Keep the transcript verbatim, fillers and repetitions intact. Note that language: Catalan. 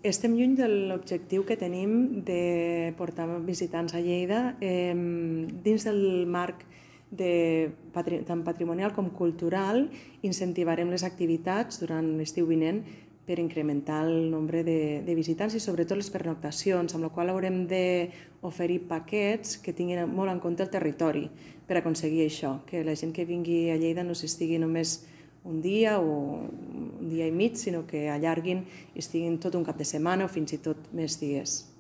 estem lluny de l'objectiu que tenim de portar visitants a Lleida dins del marc tant patrimonial com cultural. Incentivarem les activitats durant l'estiu vinent per incrementar el nombre de visitants i sobretot les pernoctacions, amb la qual haurem d'oferir paquets que tinguin molt en compte el territori per aconseguir això, que la gent que vingui a Lleida no s'estigui només un dia o un dia i mig, sinó que allarguin i estiguin tot un cap de setmana o fins i tot més dies.